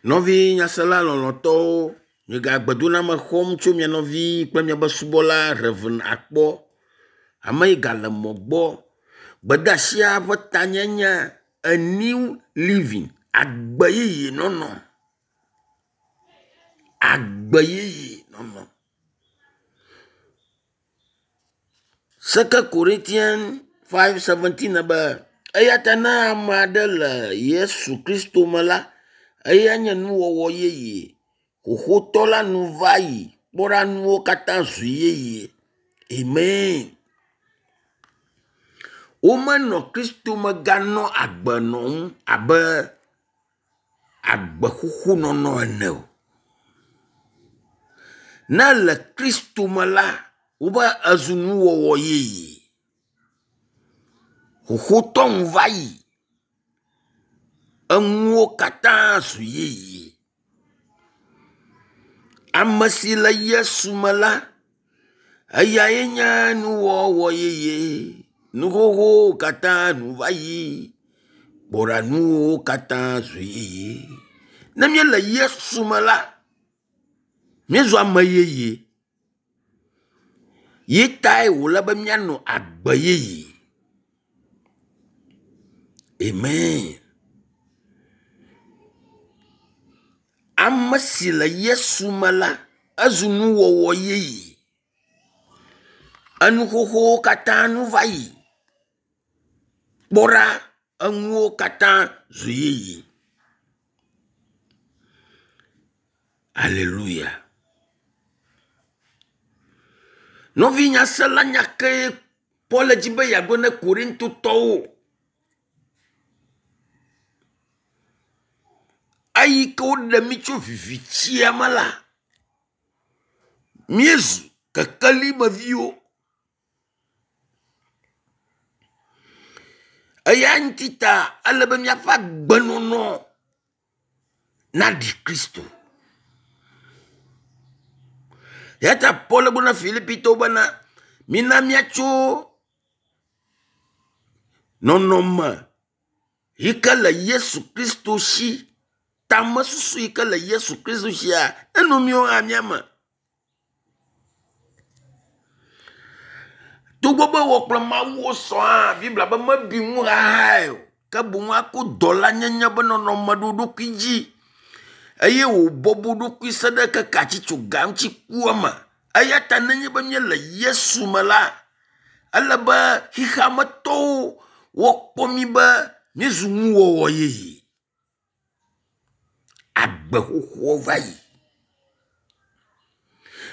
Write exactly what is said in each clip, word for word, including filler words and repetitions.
Nɔvi nyasela lɔlɔ̃tɔwo, migagbedoname xɔm tso mia nɔvi kple miaƒe subɔla Rev. Akpɔ. Ame yi gale mɔ gbɔ. Gbedeasia ƒe tanyenye a new living agbe yeye nɔnɔ. Agbe yeye nɔnɔ. Second Corinthians five seventeen be eya ta ne ame aɖe le Yesu Kristo me la, eya nye nuwɔwɔ yeye. Xoxotɔ la nu va yi. Kpɔ ɖa nuwo katã zu yeye. Amen. Womenɔ Kristo me ganɔ agbe nɔm abe agbe xoxo nɔnɔ ene o. Ne le Kristo me la, wobe ezu nuwɔwɔ yeye. Xoxotɔ nu va yi. Enuwo katã zu yeye. Ame si le Yesu me la, eyae nye nuwɔwɔ yeye. Nu xoxowo katã nu va yi. Kpɔ ɖa nuwo katã zu yeye. Ne míele Yesu me la, míezu ame yeye. Yi tae wòle be míanɔ agbe yeye. Amen. Ame si le Yesu me la, ezu nuwɔwɔ yeye. Enu xoxowo katã nu va yi. Kpɔ ɖa, enuwo katã zu yeye. Alléluia. Nɔvi nyasela nya ke Paul dzi be yeagblɔ ne Korintotɔwo. Eyi ke woɖe mí tso vivitsia me la, míezu kekelimeviwo. Eya ŋuti ta ele be míaƒe agbenɔnɔ naɖi Kristo. Eya ta Paul gblɔ na Filipitɔwo bena mina míatso nɔnɔme yi ke le Yesu Kristo si, tamesusu yi ke le Yesu Kristo sia, eno míawo hã míame. Togbɔ be wɔ kple Mawu wosɔ hã, Biblia be mebi ŋu xaxae o, ke boŋ ako dɔlanyenye be nɔnɔme ɖo ɖokui dzi eye wòbɔbɔ ɖokui se ɖe keke atsitsoga ŋuti kua me. Eya ta nenye be míele Yesu me la, ele be xexeametɔwo woakpɔ mí be míezu nuwɔwɔ yeye. Agbe xoxoa va yi.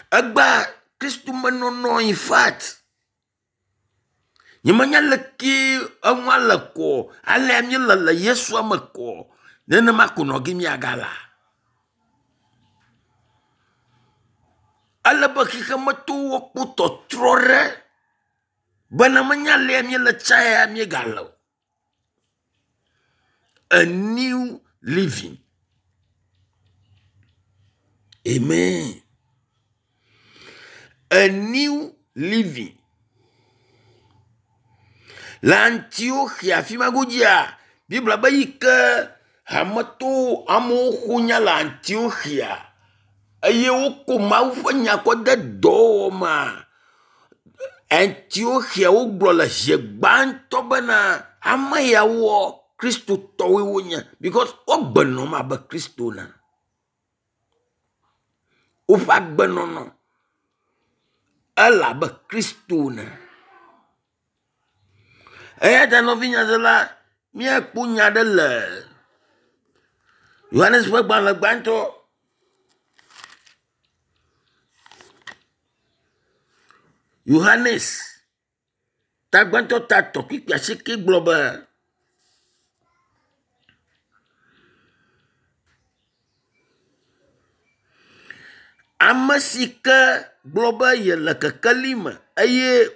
Egbea Kristo menɔnɔ in fact, nyemenya leke enua le kɔ, alea míele le Yesua me kɔ, nenema ko nɔ ge míagala. Ele be xexemetɔwo kpɔ tɔtrɔ ɖe bena menya alea míele tsa ya míegale o. A new living. Amen. A new living. Le Antiochia afi ma godzia, Biblia be yi ke hametɔwo amewo ƒo nya le Antiochia eye woko Mawu ƒe nya kɔ de dɔwɔwɔ mea, Antiochia wogblɔ le zi gbãtɔ bena ame yawoa Kristotɔwoe wonye because wogbe nɔm abe Kristo ene. Woƒe agbenɔnɔ ele abe Kristo ene. Eya ta nɔvi nyasela, míakpɔ nya ɖe le Yohanes ƒe gbalẽ gbãtɔ Yohanes tagbãtɔ ta tɔ kpikpi asieke gblɔ be ame si ke gblɔ be yele kekeli me eye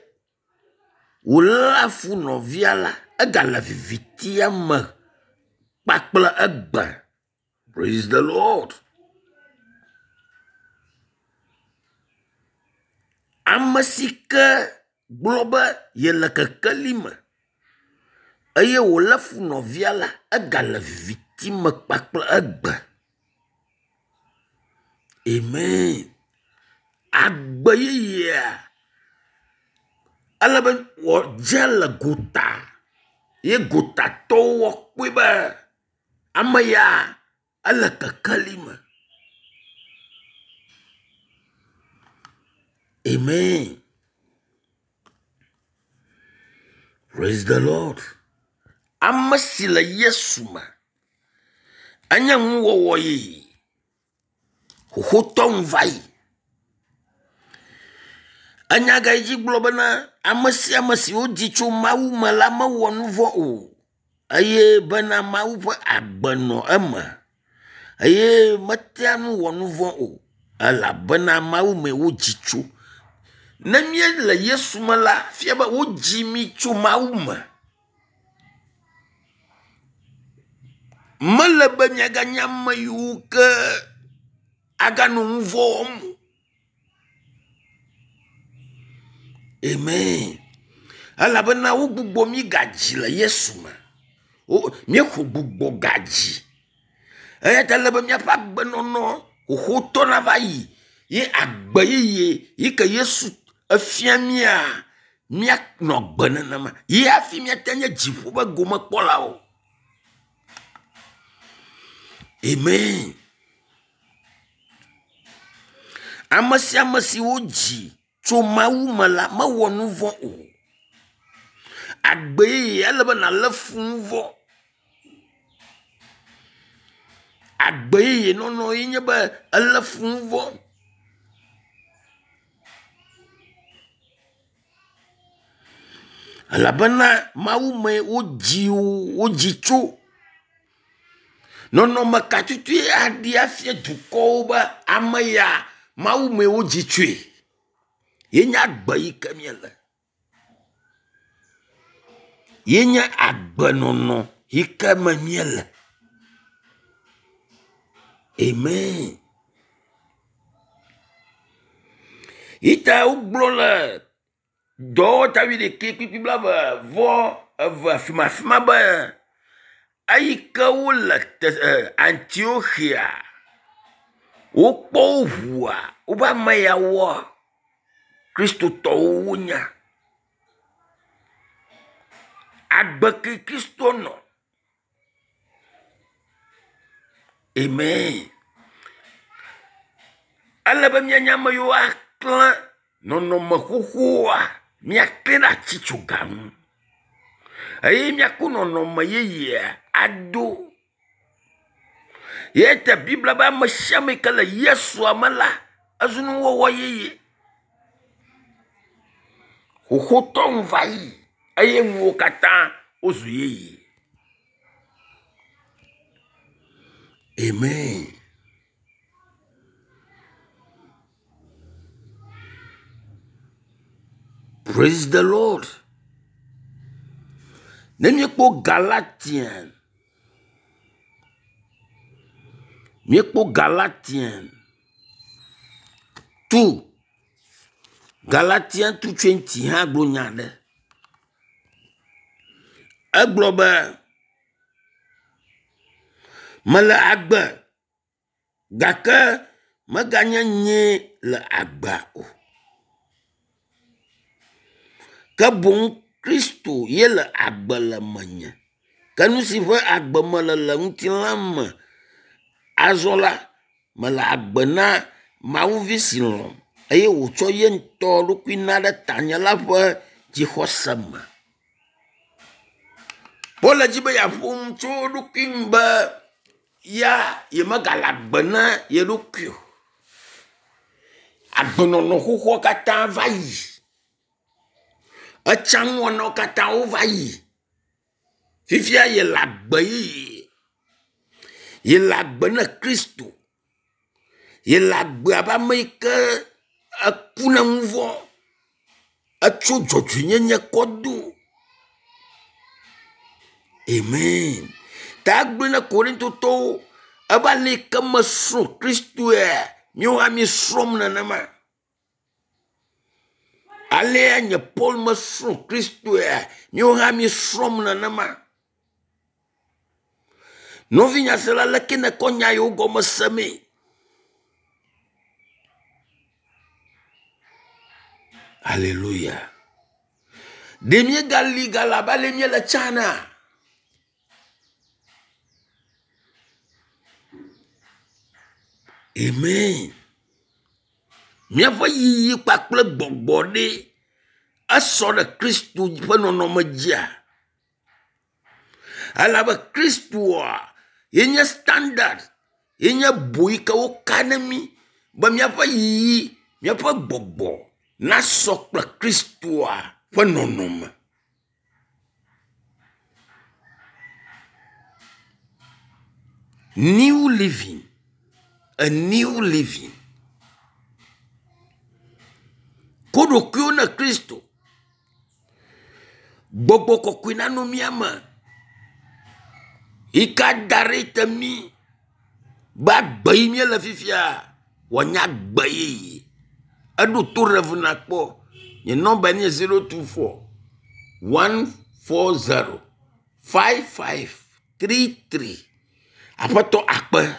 wòléa fu nɔvia la, egale vivitia me kpakple egbe. Praise the Lord. Ame si ke gblɔ be yele kekeli me eye wòlé fu nɔvia la, egale viviti me kpakple egbe. Amen. Agbe yeyea ele be wòadze le gota ye gotatɔwo woakpɔe be ame ya ele kekeli me. Amen. Praise the Lord. Ame si le Yesu me enye nuwɔwɔ yeye. Xoxotɔ nu va yi. Enya ga yi dzi gblɔ bena ame sia ame si wodzi tso Mawu me la mewɔ nu vɔ̃ o eye bena Mawu ƒe agbe nɔ eme eye metea ŋu wɔ nu vɔ̃ o elabena Mawu mee wodzi tso. Ne míele Yesu me la, fia be wodzi mí tso Mawu me. Mele be míaganye ame yiwo ke aganɔ nu vɔ̃ wɔm o. Amen. Elabena wogbugbɔ mí gadzi le Yesu me. Wo míexɔ gbugbɔ gadzi. Eya ta ele be míaƒe agbenɔnɔ xoxotɔ nava yi ye agbe yeye yi ke Yesu efia mía míanɔ agbe nenema. Ye hafi míate nye dziƒo ƒe gomekpɔlawo. Amen. Ame sia ame si wodzi tso Mawu me la mewɔ nu vɔ̃ o. Agbe yeye ele be nàlé fu nu vɔ̃. Agbe yeye nɔnɔ ye nye be elé fu nu vɔ̃. Elabena Mawu mee wodzi wodzi tso. Nɔnɔme ka tutue aɖi afia dukɔwo be ame ya Mawu mee wodzi tsoe. Ye nye agbe yi ke míele. Ye nye agbenɔnɔ yi ke me míele. Amen. Yi ta wogblɔ le dɔwɔta wuiɖekɛ kpukpui blaeve vɔ eve afi ma afi ma be eyi ke wole te Antioxia wokpɔ wo ʋua wobe ame yawoa kristotɔwo wonya. Agbe ke Kristo nɔ. Amen. Ele be míanye ame yiwo aklẽ nɔnɔme xoxoa míaklẽ ɖe atitsoga ŋu eye míako nɔnɔme yeyea ado. Ye ta Biblia be ame sia ame yi ke le Yesua me la ezu nuwɔwɔ yeye. Xoxotɔ nu va yi eye nuwo katã wozu yeye. Amen. Praise the Lord. Ne míekpɔ Galatian, míekpɔ Galatian two, Galatian two twenty hã gblɔ nya aɖe. Egblɔ be mele agbe gake meganye nyee le agbea o. Ke boŋ Kristo ye le agbe le menye. Ke nu si ƒe agbe mele le ŋutilã me azɔ la, mele agbe na Mawuvi si lɔ̃m eye wòtsɔ ye ŋutɔ ɖokui na ɖe tanye la ƒe dzixɔse me. Paul le dzi be yeaƒo nu tso eɖokui ŋu be ya yemegale agbe na ye ɖokui o. Agbenɔnɔ xoxoa katã va yi. Etsa nuwɔnawo katã wova yi. Fifia yele agbe yeye. Yele agbe na Kristo. Yele agbe abe ame yi ke eku na nu vɔ̃. Etso dzɔdzɔenyenye kɔ do. Amen. Ta egblɔe na Korintotɔwo ebe ale yi ke mesrɔ̃ Kristoe míawo hã míesrɔ̃m nenema. Alea nye Paul mesrɔ̃ Kristoe míawo hã míesrɔ̃m nenema. Nɔvinyasela leke nèkɔ nya yiwo gɔme semee? Alléluia. Ɖe míegali gale abe ale míele tsã na? Amen. Míaƒe yiyi kpakple gbɔgbɔ ɖe esɔ ɖe Kristo ƒe nɔnɔme dzia? Elabe Kristoa ye nye standard, ye nye bo yi ke woka ne mí be míaƒe yiyi, míaƒe gbɔgbɔ nasɔ kple Kristoa ƒe nɔnɔme. New living, a new living. Ko ɖokuiwo ne Kristo. Gbɔgbɔ kɔkɔe nanɔ mía me. Yi ke da ɖe te mí be agbe yi míele fifia wòanye agbe yeye. Eɖo to Rev nakpɔ. Nye nɔmba nye zero two four one four zero five five three three. Aƒetɔ akpe.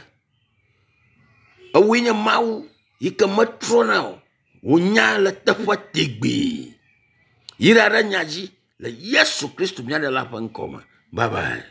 Ewoe nye Mawu yi ke metrɔna o. Wònya le teƒe tegbee. Yra ɖe nya dzi le Yesu Kristo mía Ɖela ƒe ŋkɔ me. Bye bye.